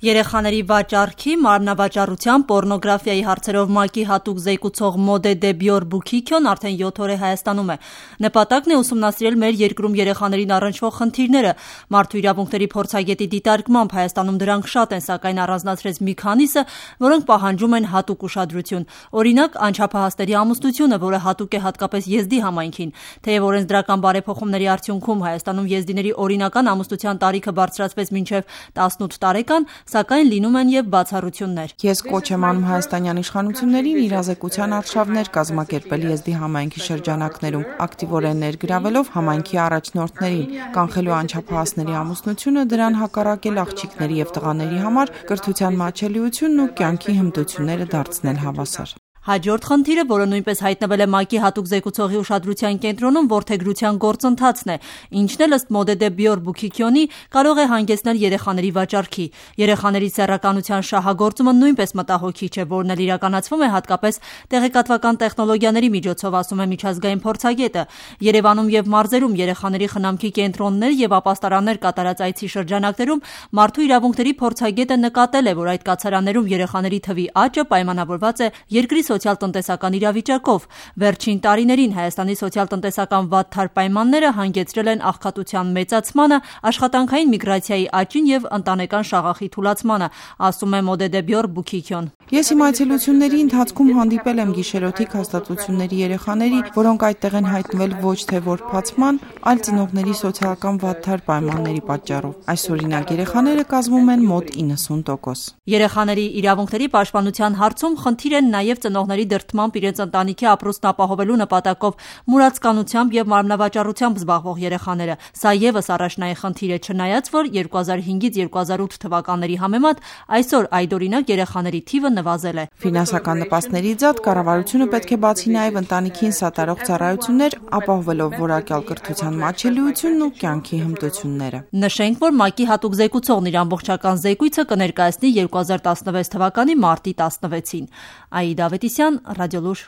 Երեխաների վաճառքի, մարմնավաճառության, պոռնոգրաֆիայի հարցերով ՄԱԿ-ի հատուկ զեկուցող Մոդե Դեբյոր Բուքիքյոն արդեն 7 օր է Հայաստանում է։ Նպատակն է ուսումնասիրել մեր երկրում երեխաներին առնչվող խնդիրները։ Մարդու իրավունքների փորձագետի դիտարկմամբ Հայաստանում դրանք շատ են, սակայն առանձնացրեց մի քանիսը, որոնք պահանջում են հատուկ ուշադրություն։ Օրինակ, անչափահասների ամուսնությունը, որը հատուկ է հատկապես եզդի համայնքին։ Թեև օրենսդրական բարեփոխումների արդյունքում Հայաստանում եզդիների օրինական ամուսնության տարիքը բարձրացվեց մինչև 18 տարեկան, սակայն լինում են եւ բացառություններ։ Ես կոչ եմ անում հայաստանյան իշխանություններին իրազեկության արշավներ կազմակերպել եզդի համայնքի շրջանակներում, ակտիվորեն ներգրավելով համայնքի առաջնորդներին, կանխելու անչափահասների ամուսնությունը, դրան հակառակել աղջիկների եւ տղաների համար կրթության մատչելիությունն ու կյանքի հմտությունները դարձնել հավասար։ Հաջորդ խնդիրը, որը նույնպես հայտնվել է ՄԱԿ-ի հատուկ զեկուցողի ուշադրության կենտրոնում, որդեգրության գործընթացն է, ինչն էլ ըստ Մոդե Դեբյոր Բուքիքյոնի կարող է հանգեցնել երեխաների վաճառքի։ Երեխաների սեռականության շահագործումը նույնպես մտահոգիչ է, որն էլ իրականացվում է հատկապես տեղեկատվական տեխնոլոգիաների միջոցով, ասում է միջազգային փորձագետը։ Երևանում եւ մարզերում երեխաների խնամքի կենտրոններ եւ ապաստարաններ կատարած այցի շրջանակներում մարդու իրավունքների փորձագետը նկատել է, որ այդ կացարաններում երեխաների թվի աճը պայմանավորված է երկրի սոցիալ-տնտեսական իրավիճակով։ Վերջին տարիներին Հայաստանի սոցիալ-տնտեսական վատթար պայմանները հանգեցրել են աղքատության մեծացմանը, աշխատանքային միգրացիայի աճին եւ ընտանեկան շաղախի թուլացմանը, ասում է Մոդե Դեբյոր Բուքիքյոն։ Ես իմ այցելությունների ընթացքում հանդիպել եմ գիշերօթիկ հաստատությունների երեխաների, որոնք այդտեղ են հայտնվել ոչ թե որբացման, այլ ծնողների սոցիալական վատթար պայմանների պատճառով։ Այս օրինակ երեխաները կազմում են մոտ 90%։ Երեխաների իրավունքների պաշտպանության հարցում խնդիր են նաեւ ծնողների դրդմամբ իրենց ընտանիքի ապրուստն ապահովելու նպատակով մուրացկանությամբ եւ մարմնավաճառությամբ զբաղվող երեխաները։ Սա եւս առաջնային խնդիր է, չնայած որ 2005-ից 2008 թվականների համեմատ այսօր այդօրինակ երեխաների թիվը նվազել է։ Ֆինանսական նպաստների ձատ կառավարությունը պետք է բացի նաեւ ընտանիքին սատարող ծառայություններ, ապահովելով որակյալ կրթության մատչելիությունն ու կյանքի հմտությունները։ Նշենք, որ ՄԱԿ-ի հատուկ զեկուցողն իր ամբողջական զեկույցը կներկայացնի 2016 թվականի մարտի 16-ին։ Աիդա Ավետիսյան, Ռադիոլուր։